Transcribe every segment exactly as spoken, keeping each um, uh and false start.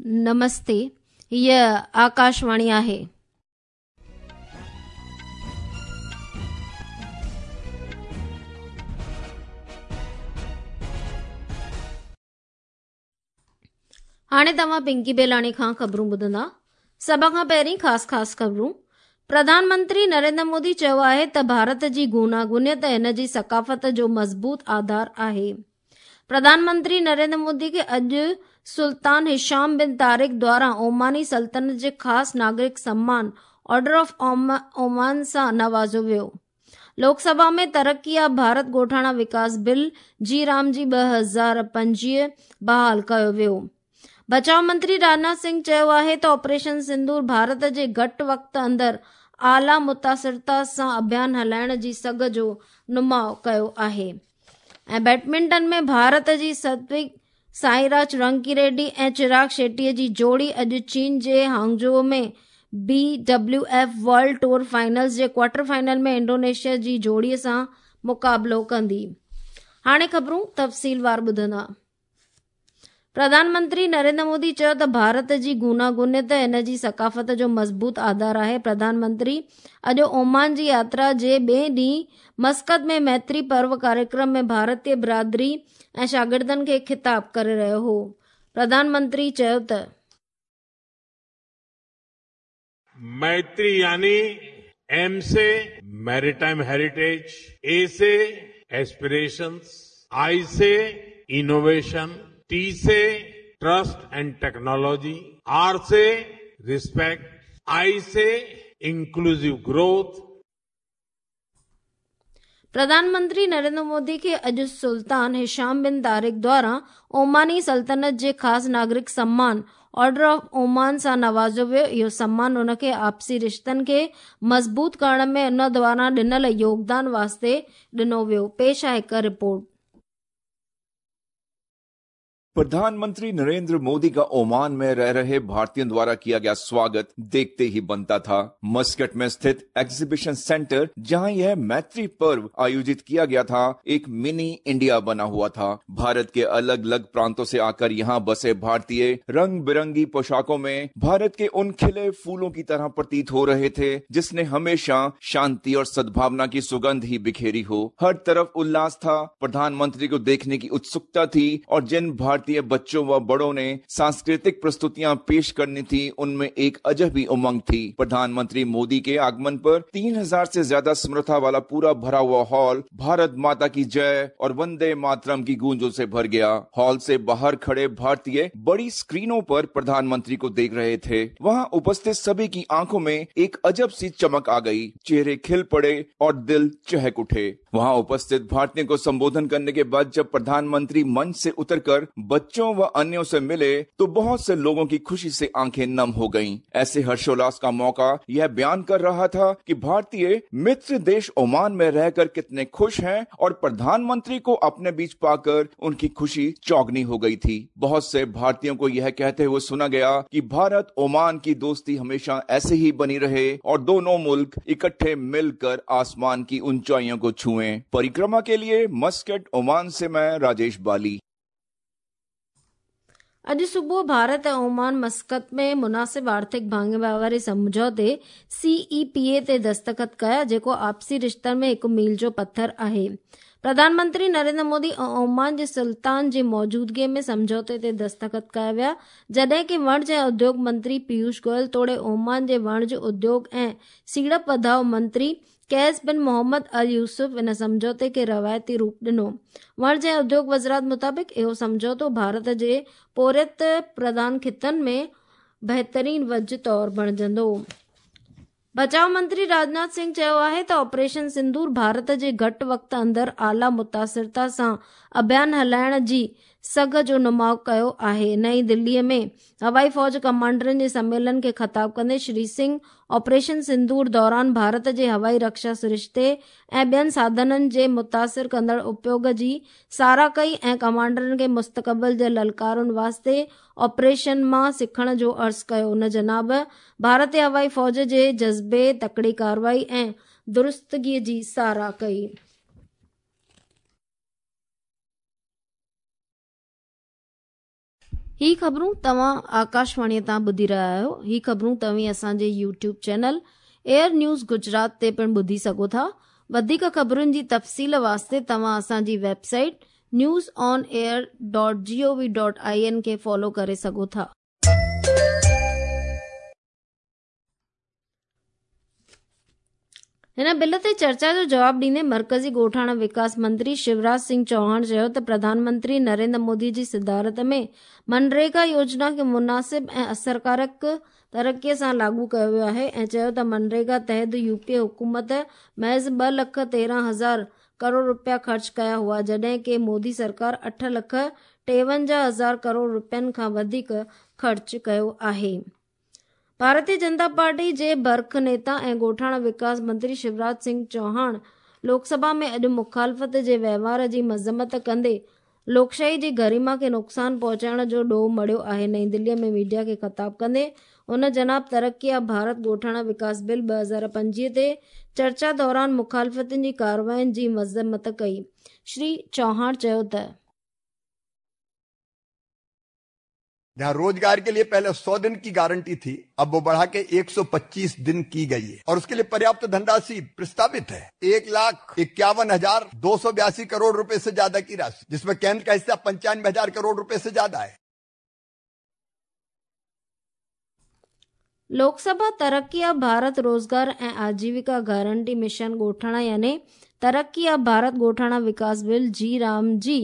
नमस्ते, हीअ आकाशवाणी आहे. हाणे तव्हां पिंकी बेलाणी खां ख़बरूं ॿुधंदा. सभ खां पहिरीं ख़ासि ख़ासि ख़बरूं. प्रधानमंत्री नरेंद्र मोदी चयो आहे त भारत जी गूनागुनियत हिन जी सकाफ़त जो मज़बूत आधार आहे. प्रधानमंत्री नरेंद्र मोदी खे अॼु सुल्तान हिशाम बिन तारिक द्वारा ओमानी सल्तनत जे ख़ासि नागरिक सम्मान ऑर्डर ऑफ ओमान सां नवाज़ियो वियो. लोकसभा में तरक़ी भारत ॻोठाणा विकास बिल जी राम जी ॿ हज़ार पंजवीह बहाल कयो वियो. बचाव मंत्री राजनाथ सिंह चयो आहे त ऑपरेशन सिंदूर भारत जे घटि वक़्त अंदरि आला मुतासिरता सां अभियान हलाइण जी सघ जो नुमाउ कयो आहे. ऐं बैडमिंटन में भारत जी सत्विक साईराज रंकी रेड्डी ऐं चिराग शेट्टीअ जी जोड़ी अॼु चीन जे Hangzhou में B W F world tour finals जे क्वार्टर फाइनल में इंडोनेशिया जी जोड़ीअ सां मुक़ाबिलो कंदी. हाणे ख़बरूं तफ़सीलवार ॿुधंदा. प्रधानमंत्री नरेंद्र मोदी चयो त भारत जी गूनागुनियत हिन जी सकाफ़त जो मज़बूत आधार आहे. प्रधानमंत्री अॼु ओमान जी यात्रा जे ॿिए ॾींहुं मस्कत में मैत्री पर्व कार्यक्रम में भारतीय बिरादरी ऐं शागिर्दनि खे ख़िताब करे रहियो हो. प्रधानमंत्री चयो त मैत्री यानी एम से मैरीटाइम हेरिटेज, ए से एस्पिरेशंस, आई से इनोवेशन, टी से ट्रस्ट एंड टेक्नोलॉजी, are से रिस्पेक्ट, आई से इंक्लूसिव ग्रोथ. प्रधानमंत्री नरेंद्र मोदी खे अॼु सुल्तान हिशाम बिन तारिक द्वारा ओमानी सल्तनत जे ख़ासि नागरिक सम्मान ऑर्डर ऑफ ओमान सां नवाज़ियो वियो. इहो सम्मान हुनखे आपसी रिश्तनि खे मज़बूत करण में उन द्वारा ॾिनल योगदान वास्ते ॾिनो वियो. पेश आहे हिकु रिपोर्ट. प्रधानमंत्री नरेंद्र मोदी का ओमान में रह रहे भारतीयों द्वारा किया गया स्वागत देखते ही बनता था. मस्कट में स्थित एग्जीबिशन सेंटर, जहां यह मैत्री पर्व आयोजित किया गया था, एक मिनी इंडिया बना हुआ था. भारत के अलग अलग प्रांतों से आकर यहां बसे भारतीय रंग बिरंगी पोशाकों में भारत के उन खिले फूलों की तरह प्रतीत हो रहे थे जिसने हमेशा शांति और सद्भावना की सुगंध ही बिखेरी हो. हर तरफ उल्लास था, प्रधानमंत्री को देखने की उत्सुकता थी और जिन भारतीय बच्चों व बड़ों ने सांस्कृतिक प्रस्तुतियां पेश करनी थी उनमें एक अजब ही उमंग थी. प्रधानमंत्री मोदी के आगमन पर तीन हजार से ज्यादा समर्था वाला पूरा भरा हुआ हॉल भारत माता की जय और वंदे मातरम की गूंजों से भर गया. हॉल से बाहर खड़े भारतीय बड़ी स्क्रीनों पर प्रधानमंत्री को देख रहे थे. वहां उपस्थित सभी की आंखों में एक अजब सी चमक आ गई, चेहरे खिल पड़े और दिल चहक उठे. वहां उपस्थित भारतीयों को संबोधन करने के बाद जब प्रधानमंत्री मंच से उतरकर बच्चों व अन्यों से मिले तो बहुत से लोगों की खुशी से आंखें नम हो गईं। ऐसे हर्षोल्लास का मौका यह बयान कर रहा था कि भारतीय मित्र देश ओमान में रहकर कितने खुश हैं और प्रधानमंत्री को अपने बीच पाकर उनकी खुशी चौगनी हो गई थी. बहुत से भारतीयों को यह कहते हुए सुना गया कि भारत ओमान की दोस्ती हमेशा ऐसे ही बनी रहे और दोनों मुल्क इकट्ठे मिलकर आसमान की ऊंचाइयों को छुएं. परिक्रमा के लिए मस्कट ओमान से मैं राजेश बाली. अॼु सुबुह भारत ऐं ओमान मस्कत में मुनासिब आर्थिक भाङेबारी वारे सम्झौते सी ई पी ए ते दस्तख़त कया, जेको आपसी रिश्तनि में हिकु मील जो पथर आहे. प्रधानमंत्री नरेंद्र मोदी ऐं ओमान जे सुल्तान जी मौजूदगीअ में सम्झौते ते दस्तख़त कया विया, जॾहिं की वणज ऐं उद्योग मंत्री पीयूष गोयल तोड़े ओमान जे वणज उद्योग ऐं सीड़प वधाव मंत्री कैस बिन मोहम्मद अल यूसुफ इन सम्झौते खे रवायती रूप ॾिनो. वणज ऐं उद्योग वज़ारत मुताबिक़ इहो सम्झौतो भारत जे पोरियत प्रधान ख़ितनि में बहितरीन वज तौर बणिजंदो. बचाव मंत्री राजनाथ सिंह चयो आहे त ऑपरेशन सिंदूर भारत जे घटि वक़्त अंदरि आला मुतासिरता सां अभियान हलाइण जी सघ जो नुमाउ कयो आहे. नई दिल्लीअ में हवाई फ़ौज कमांडरनि जे सम्मेलन खे ख़िताब कंदे श्री सिंह ऑपरेशन सिंदूर दौरान भारत जे हवाई रक्षा सरिश्ते ऐं ॿियनि साधननि जे मुतासिर कंदड़ उपयोग जी सराह कई ऐं कमांडरनि खे मुस्तक़बिल जे ललकारुनि वास्ते ऑपरेशन मां सिखण जो अर्ज़ कयो. हुन जनाब भारतीय हवाई फ़ौज जे जज़्बे, तकड़ी कार्रवाई ऐं दुरुस्तगीअ जी सराह कई. ही ख़बरूं तव्हां आकाशवाणीअ तां ॿुधी रहिया आहियो। ही ख़बरूं तव्हीं असांजे YouTube channel AIR news Gujarat ते पिणु ॿुधी सघो था। वधीक ख़बरुनि जी तफ़सील वास्ते तव्हां असांजी website news on air dot G O V dot I N खे फॉलो करे सघो था। हिन बिल ते चर्चा जो जवाब ॾींदे मर्कज़ी ॻोठाणा विकास मंत्री शिवराज सिंह चौहान चयो त प्रधानमंत्री नरेंद्र मोदी जी सदारत में मनरेगा योजना खे मुनासिब ऐं असरकारक तरक़ीअ सां लागू कयो वियो आहे ऐं चयो त मनरेगा तहत यूपीए हुकूमत महज़ ॿ लख तेरहं हज़ार करोड़ रुपया ख़र्च कया हुआ, जॾहिं की मोदी सरकार अठ लख टेवंजाह हज़ार करोड़ रुपयनि खां वधीक ख़र्च कयो आहे। भारतीय जनता पार्टी जे बर्ख नेता ऐं ॻोठाणा विकास मंत्री शिवराज सिंह चौहान लोकसभा में अॼु मुखालफ़त जे वहिंवार जी मज़म्मत कंदे लोकशाही जी गरिमा खे नुक़सानु पहुचाइण जो ॾोह मढ़ियो आहे। नई दिल्लीअ में मीडिया खे ख़िताब कंदे हुन जनाब तरक़ी भारत ॻोठाणा विकास बिल ॿ हज़ार पंजवीह ते चर्चा दौरान मुखालफ़तुनि जी कार्रवाईनि जी मज़म्मत कई। श्री चौहान चयो त जहां रोजगार के लिए पहले सौ दिन की गारंटी थी, अब वो बढ़ा के एक सौ पच्चीस दिन की गई है और उसके लिए पर्याप्त धनराशि प्रस्तावित है। एक लाख इक्यावन हजार दो सौ बयासी करोड़ रुपए से ज्यादा की राशि, जिसमें केंद्र का हिस्सा पंचानवे हजार करोड़ रुपए से ज्यादा है। लोकसभा तरक्की भारत रोजगार ऐं आजीविका गारंटी मिशन ॻोठाणा यानी तरक्की भारत ॻोठाणा विकास बिल जी राम जी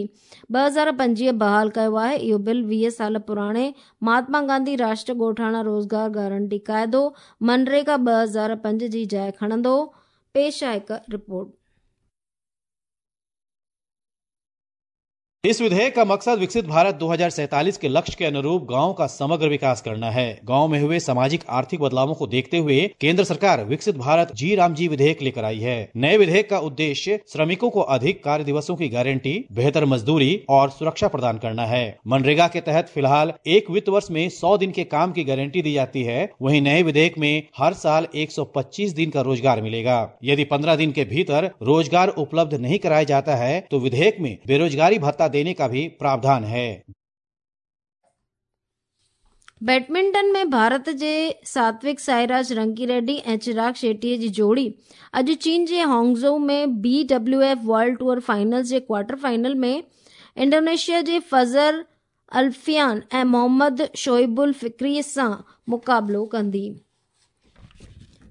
ॿ हज़ार पंजवीह बहाल कयो आहे। इहो बिल वीह साल पुराणे महात्मा गांधी राष्ट्रीय ॻोठाणा रोज़गार गारंटी काइदो मनरेगा ॿ हज़ार पंज जी जाइ खणंदो। पेश आहे हिकु रिपोर्ट। इस विधेयक का मकसद विकसित भारत दो हजार सैतालीस के लक्ष्य के अनुरूप गांव का समग्र विकास करना है। गांव में हुए सामाजिक आर्थिक बदलावों को देखते हुए केंद्र सरकार विकसित भारत जी राम जी विधेयक लेकर आई है। नए विधेयक का उद्देश्य श्रमिकों को अधिक कार्य दिवसों की गारंटी, बेहतर मजदूरी और सुरक्षा प्रदान करना है। मनरेगा के तहत फिलहाल एक वित्त वर्ष में सौ दिन के काम की गारंटी दी जाती है। वहीं नए विधेयक में हर साल एक सौ पच्चीस दिन का रोजगार मिलेगा। यदि पंद्रह दिन के भीतर रोजगार उपलब्ध नहीं कराया जाता है तो विधेयक में बेरोजगारी भत्ता देने का भी प्रावधान है। बैडमिंटन में भारत जे सात्विक साईराज रंकी रेड्डी ऐं चिराग शेट्टीअ जी जोड़ी अॼु चीन जे हांगझो में B W F world tour finals जे क्वार्टर फाइनल में इंडोनेशिया जे फजर अल्फियान ऐं मोहम्मद शोइबुल फिक्री सां मुक़ाबिलो कंदी।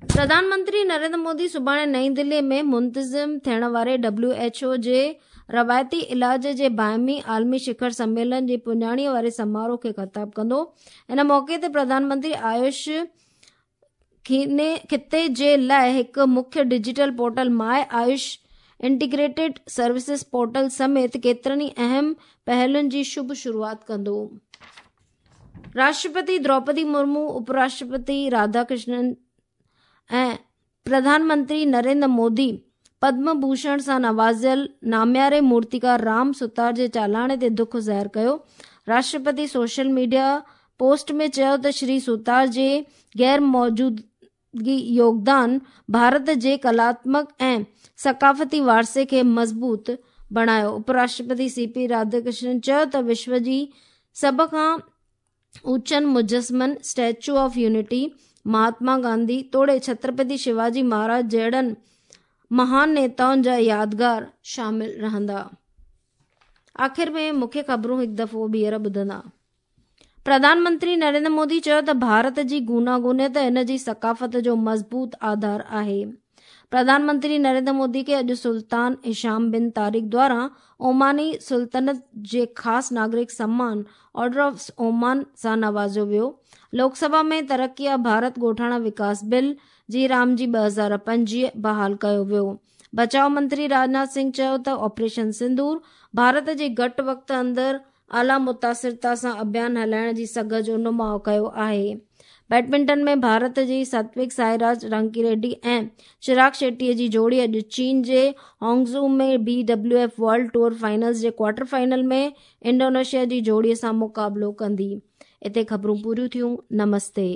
प्रधानमंत्री नरेंद्र मोदी सुभाणे नई दिल्ली में मुंतज़िम थियण वारे डब्ल्यू एच ओ जे रवायती इलाज जे बाहिमी आलमी शिखर सम्मेलन जी पुॼाणीअ वारे समारोह खे ख़िताब कंदो। इन मौक़े ते प्रधानमंत्री आयुष ख़िते जे लाइ हिकु मुख्य digital portal my Ayush integrated services portal समेत केतिरनि ई अहम पहलुनि जी शुभ शुरूआत कंदो। राष्ट्रपति द्रौपदी मुर्मू, उपराष्ट्रपति राधाकृष्णन ऐं प्रधानमंत्री नरेंद्र मोदी पद्म भूषण सां नवाज़ियल नामियारे मूर्तिकार राम सुतार जे चालाणे ते दुख ज़ाहिर कयो। राष्ट्रपति सोशल मीडिया पोस्ट में चयो त श्री सुतार जे गैर मौजूदगी योगदान भारत जे कलात्मक ऐं सकाफ़ती वारसे खे मज़बूत बणायो। उपराष्ट्रपति सी पी राधाकृष्णन चयो त विश्व जी सभ खां ऊंचनि मुजस्मनि statue of unity, Mahatma Gandhi तोड़े छत्रपति शिवाजी महाराज जहिड़नि महान नेताउनि जा यादगार शामिल रहंदा। आख़िर में मुख्य ख़बरूं हिकु दफ़ो ॿीहर ॿुधंदा। प्रधानमंत्री नरेंद्र मोदी चयो त भारत जी गूनागूनियत हिन जी सकाफ़त जो मज़बूत आधार आहे। प्रधानमंत्री नरेंद्र मोदी खे अॼु सुल्तान हिशाम बिन तारिक द्वारा ओमानी सुल्तनत जे ख़ासि नागरिक सम्मान ऑर्डर ऑफ ओमान सां नवाज़ियो वियो। लोकसभा में तरक्की भारत ॻोठाणा विकास बिल जी राम जी ॿ हज़ार पंजवीह बहाल कयो वियो। बचाव मंत्री राजनाथ सिंह चयो त ऑपरेशन सिंदूर भारत जे घटि वक़्त अंदरि आला मुतासिरता सां अभियान हलाइण जी सघ जो नुमाउ कयो आहे। बैडमिंटन में भारत जी सात्विक साईराज रंकी रेड्डी ऐं चिराग शेट्टीअ जी जोड़ी अॼु चीन जे हांगझू में B W F world tour finals जे क्वार्टर फाइनल में इंडोनेशिया जी जोड़ीअ सां मुक़ाबिलो कंदी। हिते ख़बरूं पूरियूं थियूं। नमस्ते।